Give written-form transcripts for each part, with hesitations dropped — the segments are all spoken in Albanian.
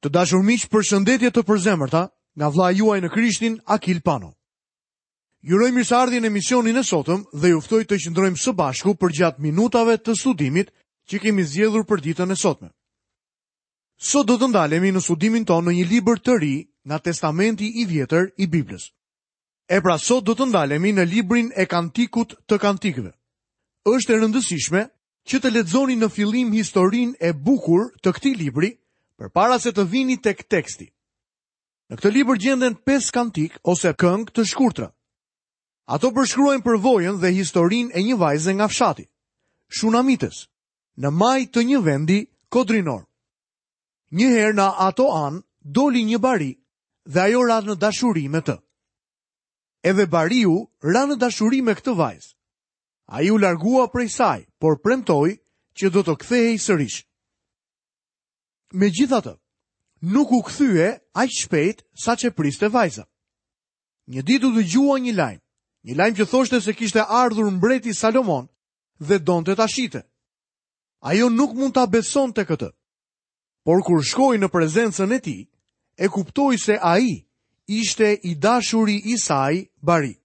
Të dashur miq, përshëndetje të përzemërta nga vëllai juaj në Krishtin, Akil Pano. Ju uroj mirëseardhje në emisionin e sotëm dhe ju ftoj të qëndrojmë së bashku përgjatë minutave të studimit që kemi zgjedhur për ditën e sotme. Sot do të ndalemi në studimin tonë në një libër të ri nga Testamenti i Vjetër i Biblës. E pra sot do të ndalemi në librin e Kantikut të Kantikëve. Është e rëndësishme që të lexoni në fillim historinë e bukur të këtij libri, përpara se të vini tek teksti. Në këtë libër gjenden 5 kantikë ose këngë të shkurtra. Ato përshkruajnë përvojën dhe historinë e një vajze nga fshati, Shunamites, në majë të një vendi kodrinor. Një herë në ato anë doli një bari dhe ajo ra në dashuri me të. Edhe bariu ra në dashuri me këtë vajzë. Ai u largua prej saj, por premtoi që do të kthehej sërish. Megjithatë, nuk u kthye aq shpejt sa ç'e priste vajza. Një ditë u dëgjua një lajm, një lajm që thoshte se kishte ardhur mbreti Salomon dhe donte ta shihte. Ajo nuk mund ta besonte këtë. Por kur shkoi në prezencën e tij, e kuptoi se ai ishte i dashuri i saj bari.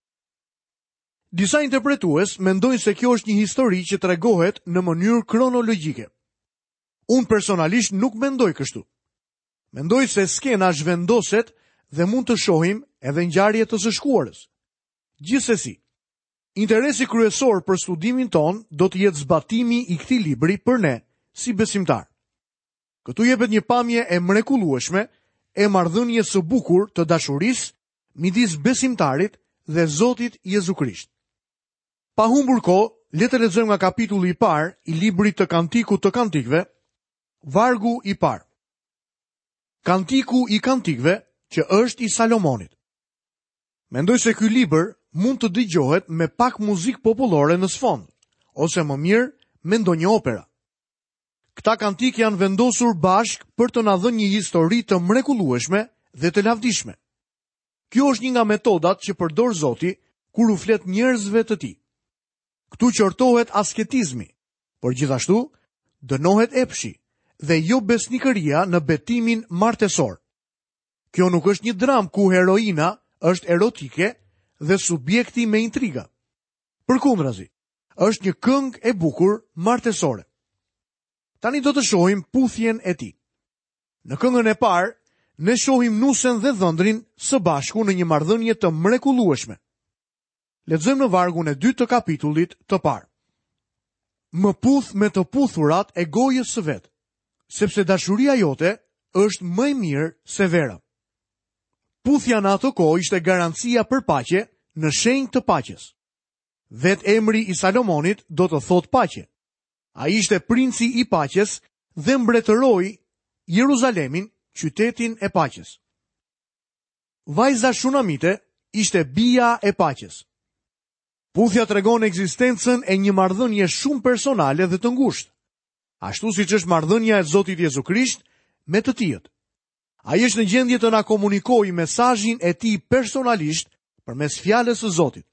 Disa interpretues mendojnë se kjo është një histori që tregohet në mënyrë kronologjike. Unë personalisht nuk mendoj kështu. Mendoj se skena zhvendoset dhe mund të shohim edhe ngjarje të së shkuarës. Gjithsesi, interesi kryesor për studimin tonë do të jetë zbatimi i këtij libri për ne si besimtarë. Këtu jepet një pamje e mrekullueshme e marrëdhënies së bukur të dashurisë midis besimtarit dhe Zotit Jezu Krisht. Pa humbur kohë, le të lexojmë nga kapitulli i parë i librit të Kantikut të Kantikëve, vargu i parë. Kantiku i Kantikëve që është i Salomonit. Mendoj se ky libër mund të dëgjohet me pak muzikë popullore në sfond, ose më mirë me ndonjë opera. Këta kantikë janë vendosur bashkë për të na dhënë një histori të mrekullueshme dhe të lavdishme. Kjo është një nga metodat që përdor Zoti kur u flet njerëzve të tij. Këtu qortohet asketizmi, por gjithashtu dënohet epshi dhe jobesnikëria në betimin martesor. Kjo nuk është një dramë ku heroina është erotike dhe subjekti me intriga. Përkundrazi, Është një këngë e bukur martesore. Tani do të shohim puthjen e tij. Në këngën e parë, ne shohim nusen dhe dhëndrin së bashku në një marrëdhënie të mrekullueshme. Lexojmë në vargun e dytë të kapitullit të parë. Më puth me të puthurat e gojës së vet, sepse dashuria jote është më e mirë se vera. Puthja në atë kohë ishte garancia për paqe në shenjë të paqes. Vetë emri i Salomonit do të thotë paqe. Ai ishte princi i paqes dhe mbretëroi Jeruzalemin, qytetin e paqes. Vajza shunamite ishte bija e paqes. Puthja tregon ekzistencën e një marrëdhënie shumë personale dhe të ngushtë, ashtu siç është marrëdhënia e Zotit Jezu Krisht me të tijët. Ai është në gjendje të na komunikojë mesazhin e tij personalisht përmes fjalës së Zotit.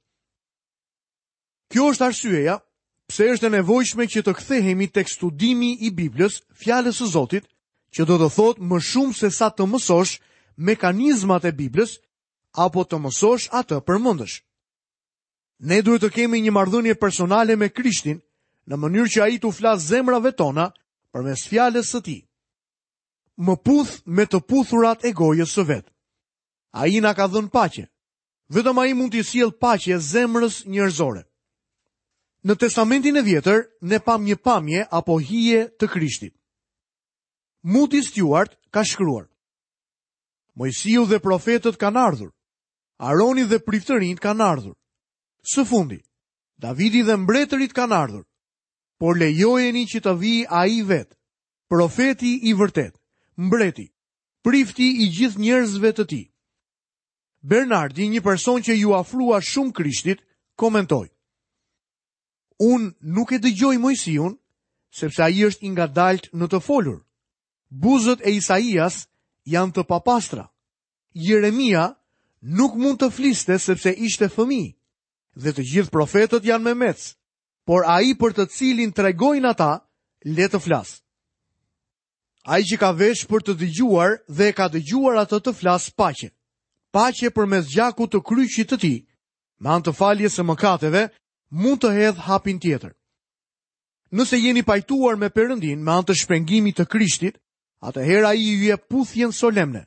Kjo është arsyeja pse është e nevojshme që të kthehemi tek studimi i Biblës, fjalës së Zotit, që do të thotë më shumë se sa të mësosh mekanizmat e Biblës apo të mësosh atë përmendësh. Ne duhet të kemi një marrëdhënie personale me Krishtin në mënyrë që ai t'u flasë zemrave tona përmes fjalës së tij. Më puth me të puthurat e gojës së vet. Ai na ka dhënë paqe. Vetëm ai mund t'i sjellë paqe zemrës njerëzore. Në Testamentin e Vjetër ne pamë një pamje apo hije të Krishtit. Moody Stuart ka shkruar: Moisiu dhe profetët kanë ardhur. Aroni dhe priftërinjtë kanë ardhur. Së fundi, Davidi dhe mbretërit kanë ardhur. Por lejojeni që të vijë ai vetë, Profeti i vërtetë, mbreti, prifti i gjithë njerëzve të tij. Bernardi, një person që iu afrua shumë Krishtit, komentoi: Unë nuk e dëgjoj Moisiun, sepse ai është i ngadaltë në të folur. Buzët e Isaias janë të papastra. Jeremia nuk mund të fliste sepse ishte fëmijë, dhe të gjithë profetët janë memecë. por ai për të cilin tregojnë ata, le të flasë. Ai që ka vesh për të dëgjuar dhe e ka dëgjuar atë të flasë paqe. Paqe përmes gjakut të kryqit të tij, me anë të faljes së mëkateve, mund të hedhë hapin tjetër. Nëse jeni pajtuar me Perëndinë me anë të shpengimit të Krishtit, atëherë ai ju jep puthjen solemne,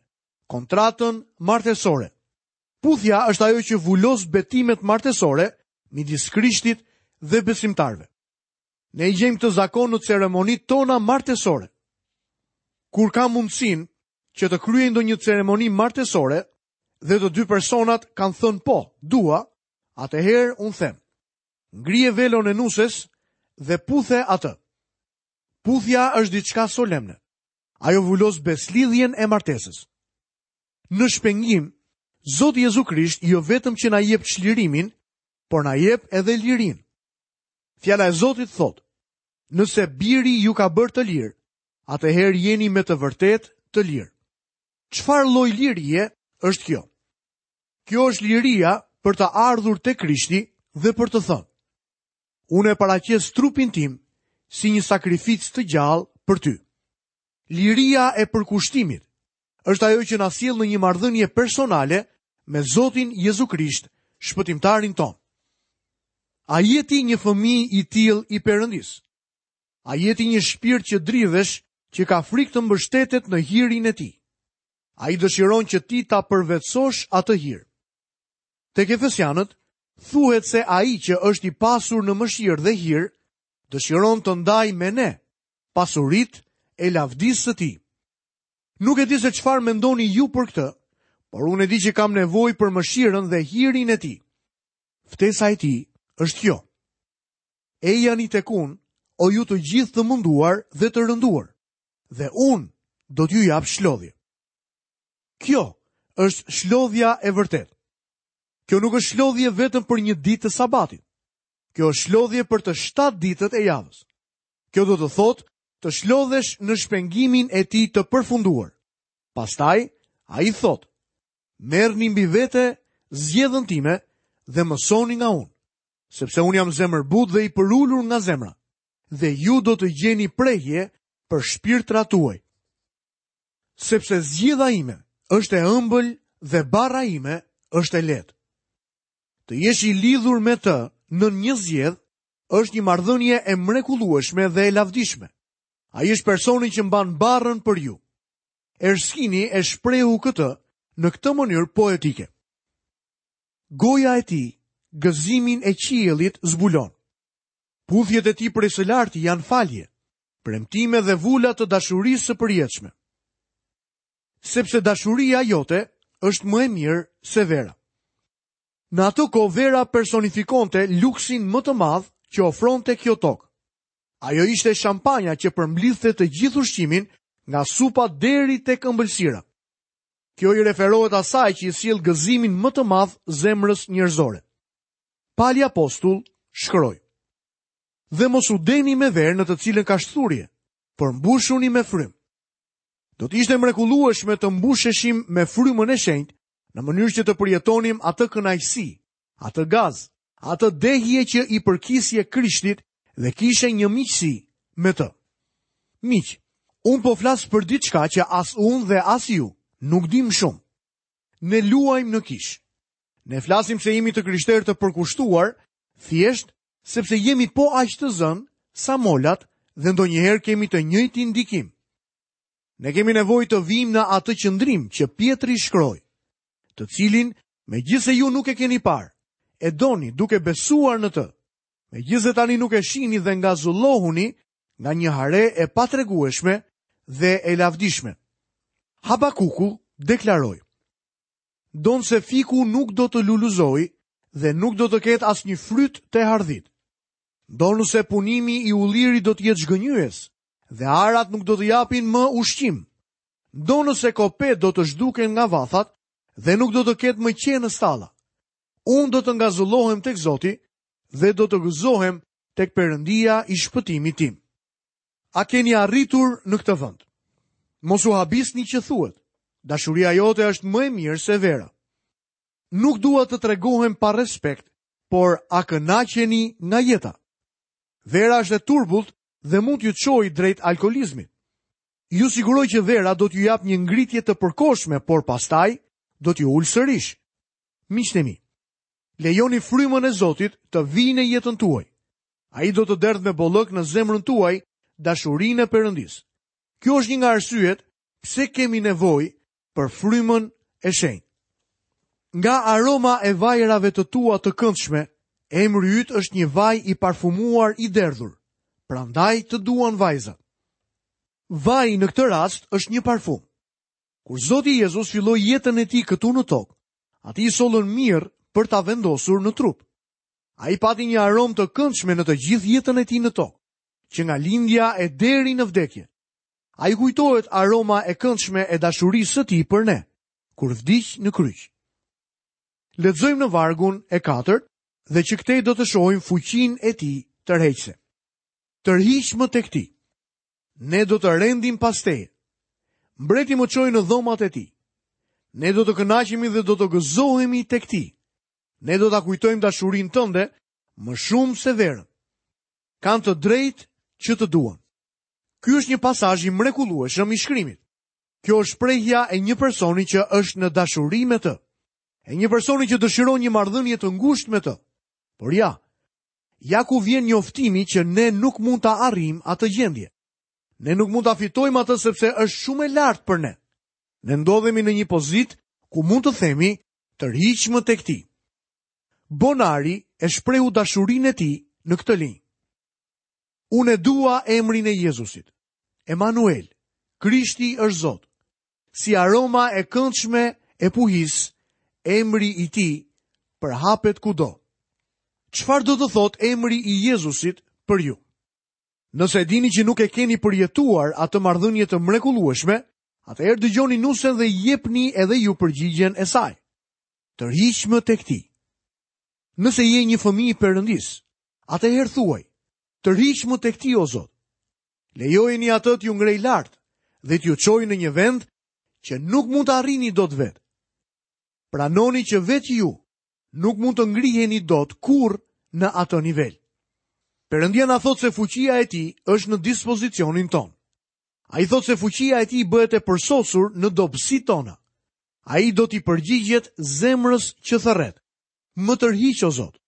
kontratën martesore. Puthja është ajo që vulos betimet martesore midis Krishtit dhe besimtarëve. Ne i gjejmë këtë zakon në ceremonitë tona martesore. Kur kam mundësinë që të kryej ndonjë ceremoni martesore dhe të dy personat kanë thënë po, dua, atëherë unë them, ngrije velon e nuses dhe puthe atë. Puthja është diçka solemne. Ajo vulos besëlidhjen e martesës. Në shpengim, Zoti Jezu Krisht jo vetëm që na jep çlirimin, por na jep edhe lirinë. Fjala e Zotit thotë, nëse biri ju ka bërë të lirë, atëherë jeni me të vërtetë të lirë. Çfarë lloj lirie është kjo? Kjo është liria për të ardhur te Krishti dhe për të thënë: Unë e paraqes trupin tim si një sakrificë të gjallë për ty. Liria e përkushtimit është ajo që na sjell në një marrëdhënie personale me Zotin Jezu Krisht, shpëtimtarin tonë. A je ti një fëmijë i tillë i Perëndisë? A je ti një shpirt që dridhesh, që ka frikë të mbështetet në hirin e tij? Ai dëshiron që ti ta përvetësosh atë hir. Tek Efesianët thuhet se ai që është i pasur në mëshirë dhe hir, dëshiron të ndajë me ne pasuritë e lavdisë së tij. Nuk e di se çfarë mendoni ju për këtë, por unë e di që kam nevojë për mëshirën dhe hirin e tij. Ftesa e tij është kjo. Ejani tek unë, o ju të gjithë të munduar dhe të rënduar, dhe unë do t'ju jap shlodhje. Kjo është shlodhja e vërtetë. Kjo nuk është shlodhje vetëm për një ditë të sabatit. Kjo është shlodhje për të shtatë ditët e javës. Kjo do të thotë të shlodhesh në shpengimin e tij të përfunduar. Pastaj, ai thotë, merrni mbi vete zgjedhën time dhe mësoni nga unë, sepse unë jam zemërbutë dhe i përulur nga zemra, dhe ju do të gjeni prehje për shpirtrat tuaj. Sepse zgjedha ime është e ëmbël dhe barra ime është e lehtë. Të jesh i lidhur me të nën një zgjedhë është një marrëdhënie e mrekullueshme dhe e lavdishme. Ai është personi që mban barrën për ju. Erskini e shprehu këtë në këtë mënyrë poetike. Goja e tij gëzimin e qiellit zbulon. Puthjet e tij prej së larti janë falje, premtime dhe vula të dashurisë së përjetshme. Sepse dashuria jote është më e mirë se vera. Në atë kohë vera personifikonte luksin më të madh që ofronte kjo tokë. Ajo ishte shampanja që përmblidhte të gjithë ushqimin nga supa deri tek ëmbëlsira. Kjo i referohet asaj që i sjell gëzimin më të madh zemrës njerëzore. Pali Apostull shkroi: Dhe mos u dehni me verë në të cilën ka shthurje, por mbushuni me frymë. Do të ishte e mrekullueshme të mbusheshim me frymën e shenjtë në mënyrë që të përjetonim atë kënaqësi, atë gaz, atë dehje që i përkisje Krishtit dhe kishe një miqësi me të. Miq, unë po flas për diçka që as unë dhe as ju nuk dimë shumë. Ne luajmë në kishë. Ne flasim se jemi të krishterë të përkushtuar, thjesht sepse jemi po aq të zënë sa molat dhe ndonjëherë kemi të njëjtin ndikim. Ne kemi nevojë të vijmë në atë qëndrim që Pjetri shkroi, të cilin, megjithëse ju nuk e keni parë, e doni duke besuar në të. Megjithëse tani nuk e shihni dhe ngazëllohuni nga një hare e patregueshme dhe e lavdishme. Habakuku deklaroi: Ndonëse fiku nuk do të lulëzojë dhe nuk do të ketë asnjë fryt te hardhitë. Ndonëse punimi i ullirit do të jetë zhgënjyes dhe arat nuk do të japin më ushqim. Ndonëse kopetë do të zhduken nga vathat dhe nuk do të ketë më qen në stalla. Unë do të ngazëllohem tek Zoti dhe do të gëzohem tek Perëndia i shpëtimit tim. A keni arritur në këtë vend? Mos u habisni që thuhet, dashuria jote është më e mirë se vera. Nuk dua të tregohem pa respekt, por a kënaqeni nga jeta? Vera është e turbullt dhe mund t'ju çojë drejt alkoolizmit. Ju siguroj që vera do t'ju japë një ngritje të përkohshme, por pastaj do t'ju ulë sërish. Miqtë e mi, lejoni frymën e Zotit të vijë në jetën tuaj. Ai do të derdhë me bollëk në zemrën tuaj dashurinë e Perëndisë. Kjo është një nga arsyet pse kemi nevojë për frymën e shenjtë. Nga aroma e vajrave të tua të këndshme, emri yt është një vaj i parfumuar i derdhur. Prandaj të duan vajzat. Vaji në këtë rast është një parfum. Kur Zoti Jezus filloi jetën e tij këtu në tokë, atij i sollën mirë për ta vendosur në trup. Ai pati një aromë të këndshme në të gjithë jetën e tij në tokë, që nga lindja e deri në vdekje. A ju kujtohet aroma e këndshme e dashurisë së tij për ne, kur vdiq në kryq. Lexojmë në vargun e katërt dhe që këtej do të shohim fuqinë e tij tërheqëse. Tërhiqmë tek ti. Ne do të rendim pas teje. Mbreti më çoi në dhomat e tij. Ne do të kënaqemi dhe do të gëzohemi tek ti. Ne do ta kujtojmë dashurinë tënde më shumë se verën. Kanë të drejtë që të duan. Ky është një pasazh i mrekullueshëm i shkrimit. Kjo është shprehja e një personi që është në dashuri me të. E një personi që dëshiron një marrëdhënie të ngushtë me të. Por ja, ja ku vjen njoftimi që ne nuk mund ta arrijmë atë gjendje. Ne nuk mund ta fitojmë atë sepse është shumë e lartë për ne. Ne ndodhemi në një pozitë ku mund të themi tërhiqmë tek ti. Bonari e shprehu dashurinë e tij në këtë linjë. Unë e dua emrin e Jezusit. Emanuel, Krishti është Zot. Si aroma e këndshme e puhisë, emri i tij përhapet kudo. Çfarë do të thotë emri i Jezusit për ju? Nëse e dini që nuk e keni përjetuar atë marrëdhënie të mrekullueshme, atëherë dëgjoni nusen dhe jepni edhe ju përgjigjen e saj. Tërhiqmë tek ti. Nëse je një fëmijë i Perëndisë, atëherë thuaj, tërhiqmë tek ti o Zot. Lejojeni atë t'ju ngrejë lart dhe t'ju çojë në një vend që nuk mund ta arrini dot vetë. Pranoni që vetë ju nuk mund të ngriheni dot kurrë në atë nivel. Perëndia na thotë se fuqia e tij është në dispozicionin tonë. Ai thotë se fuqia e tij bëhet e përsosur në dobësitë tona. Ai do t'i përgjigjet zemrës që thërret. Më tërhiq o Zot.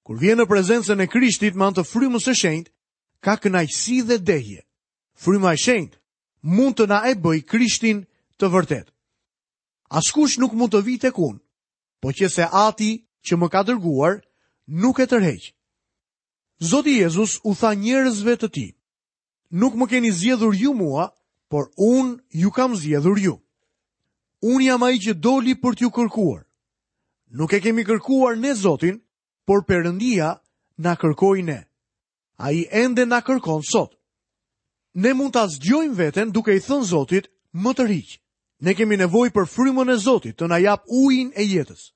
Kur vjen në prezencën e Krishtit me anë të frymës së shenjtë, ka kënaqësi dhe dehje. Fryma e shenjtë mund të na e bëjë Krishtin të vërtetë. Askush nuk mund të vijë tek unë, po qe se Ati që më ka dërguar nuk e tërheq. Zoti Jezus u tha njerëzve të tij, nuk më keni zgjedhur ju mua, por unë ju kam zgjedhur ju. Unë jam ai që doli për t'ju kërkuar. Nuk e kemi kërkuar ne Zotin, por Perëndia na kërkoi ne. Ai ende na kërkon sot. Ne mund ta zgjojmë veten duke i thënë Zotit, më tërhiq. Ne kemi nevojë për frymën e Zotit të na japë ujin e jetës.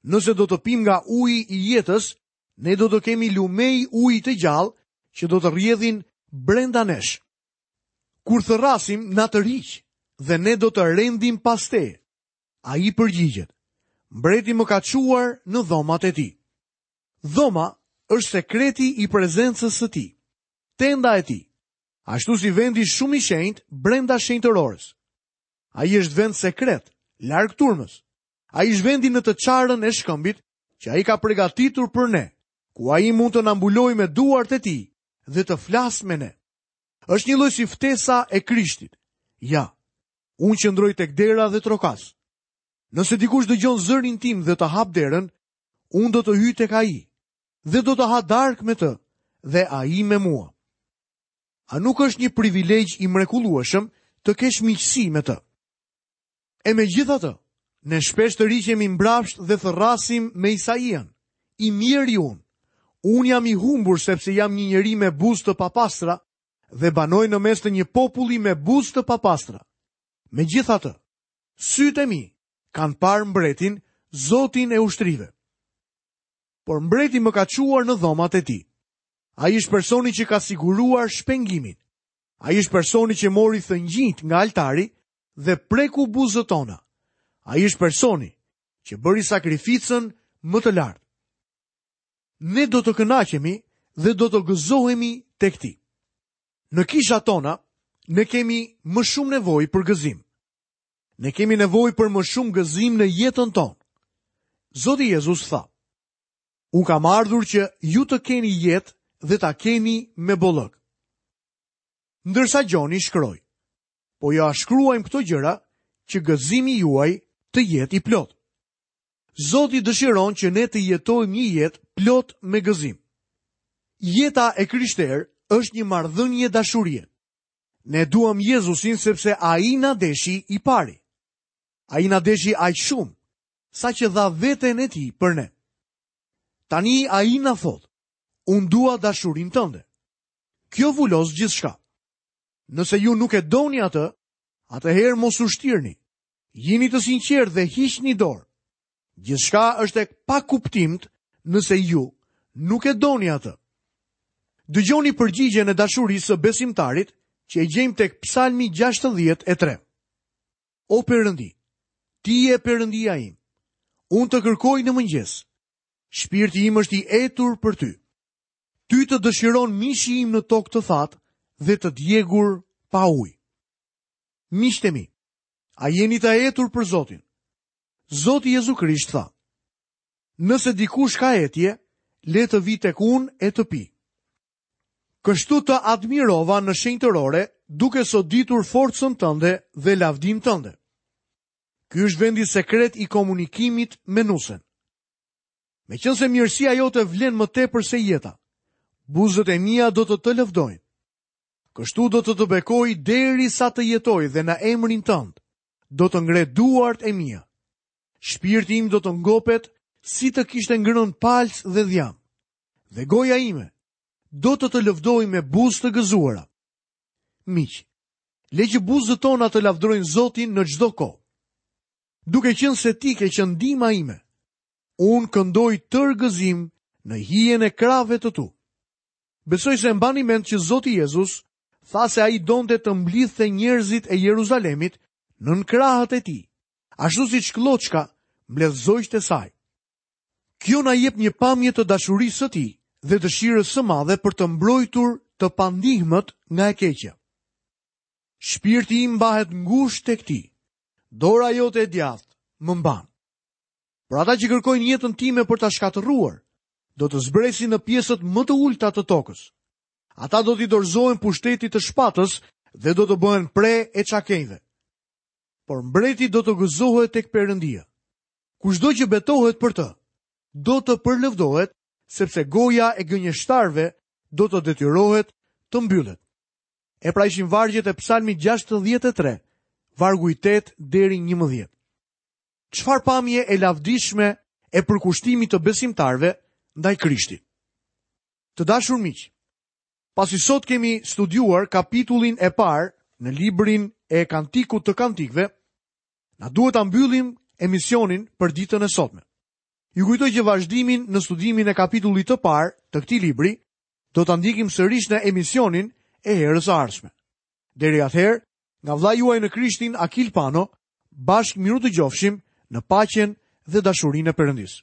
Nëse do të pimë nga uji i jetës, ne do të kemi lumenj uji të gjallë që do të rrjedhin brenda nesh. Kur thërrasim, na tërhiq dhe ne do të rendim pas teje. Ai përgjigjet, mbreti më ka çuar në dhomat e tij. Dhoma është sekreti i prezencës së tij, tenda e tij, ashtu si vendi shumë i shenjtë brenda shenjtërores. Ai është vend sekret, larg turmës. Ai është vendi në të çarën e shkëmbit që ai ka përgatitur për ne, ku ai mund të na mbulojë me duart e tij dhe të flasë me ne. Është njëlloj si ftesa e Krishtit. Ja, unë qëndroj tek dera dhe trokas. Nëse dikush dëgjon zërin tim dhe të hapë derën, unë do të hyj tek ai dhe do të ha darkë me të dhe ai me mua. A nuk është një privilegj i mrekullueshëm të kesh miqësi me të? E megjithatë, ne shpesh tërhiqemi mbrapsht dhe thërrasim me Isaian, i mjeri unë. Unë jam i humbur sepse jam një njeri me buzë të papastra dhe banoj në mes të një populli me buzë të papastra. Megjithatë, sytë e mi kanë parë mbretin, Zotin e ushtrive. Por mbreti më ka çuar në dhomat e tij. Ai është personi që ka siguruar shpengimin. Ai është personi që mori thëngjijtë nga altari dhe preku buzët tona. Ai është personi që bëri sakrificën më të lartë. Ne do të kënaqemi dhe do të gëzohemi tek ti. Në kishat tona, Ne kemi më shumë nevojë për gëzim. Ne kemi nevojë për më shumë gëzim në jetën tonë. Zoti Jezus tha: Unë kam ardhur që ju të keni jetë dhe ta keni me bollëk. Ndërsa Gjoni shkroi: Po jua shkruajmë këto gjëra që gëzimi juaj të jetë i plotë. Zoti dëshiron që ne të jetojmë një jetë plot me gëzim. Jeta e krishterë është një marrëdhënie dashurie. Ne duam Jezusin sepse ai na deshi i pari. Ai na deshi aq shumë, saqë dha veten e tij për ne. Tani ai na thotë, unë dua dashurinë tënde. Kjo vulos gjithçka. Nëse ju nuk e doni atë, atëherë mos u shtirni. Jini të sinqertë dhe hiqni dorë. Gjithçka është e pakuptimtë nëse ju nuk e doni atë. Dëgjoni përgjigjen e dashurisë së besimtarit që e gjejmë tek Psalmi 63. O Perëndi, ti je Perëndia im. Unë të kërkoj në mëngjes. Shpirti im është i etur për ty. Ty të dëshiron mishi im në tokë të thatë dhe të djegur pa ujë. Miqtë e mi, a jeni të etur për Zotin? Zoti Jezu Krisht tha, Nëse dikush ka etje, le të vijë tek unë e të pijë. Kështu të admirova në shenjtërore, duke soditur forcën tënde dhe lavdinë tënde. Ky është vendi sekret i komunikimit me nusen. Meqenëse mirësia jote vlen më tepër se jeta, buzët e mia do të të lëvdojnë. Kështu do të të bekoj derisa të jetoj dhe në emrin tënd do të ngre duart e mia. Shpirti im do të ngopet si të kishte ngrënë palcë dhe dhjamë. Dhe goja ime do të të lëvdojë me buzë të gëzuara. Miq, le që buzët tona të lavdërojnë Zotin në çdo kohë. Duke qenë se ti ke qenë ndihma ime, unë këndoj tërë gëzim në hijen e krahëve të tu. Besoj se e mbani mend që Zoti Jezus tha se ai donte të mblidhte njerëzit e Jeruzalemit nën krahët e tij, ashtu siç klloçka mbledh zogjtë e saj. Kjo na jep një pamje të dashurisë së tij dhe dëshirës së madhe për të mbrojtur të pandihmët nga e keqja. Shpirti im mbahet ngushtë tek ti. Dora jote e djathtë më mban. Por ata që kërkojnë jetën time për ta shkatërruar, do të zbresin në pjesët më të ulëta të tokës. Ata do t'i dorëzohen pushtetit të shpatës dhe do të bëhen pre e çakenjve. Por mbreti do të gëzohet tek Perëndia. Kushdo që betohet për të, do të përlëvdohet, sepse goja e gënjeshtarëve do të detyrohet të mbyllet. E pra ishin vargjet e Psalmit 63, vargu i 8 deri 11. Çfarë pamje e lavdishme e përkushtimit të besimtarëve ndaj Krishtit. Të dashur miq, pasi sot kemi studiuar kapitullin e parë në librin e Kantikut të Kantikëve, na duhet ta mbyllim emisionin për ditën e sotme. Ju kujtoj që vazhdimin në studimin e kapitullit të parë të këtij libri do ta ndjekim sërish në emisionin e herës së ardhshme. Deri atëherë, nga vëllai juaj në Krishtin Akil Pano, bashkë mirudëgjofshim në paqen dhe dashurinë e Perëndisë.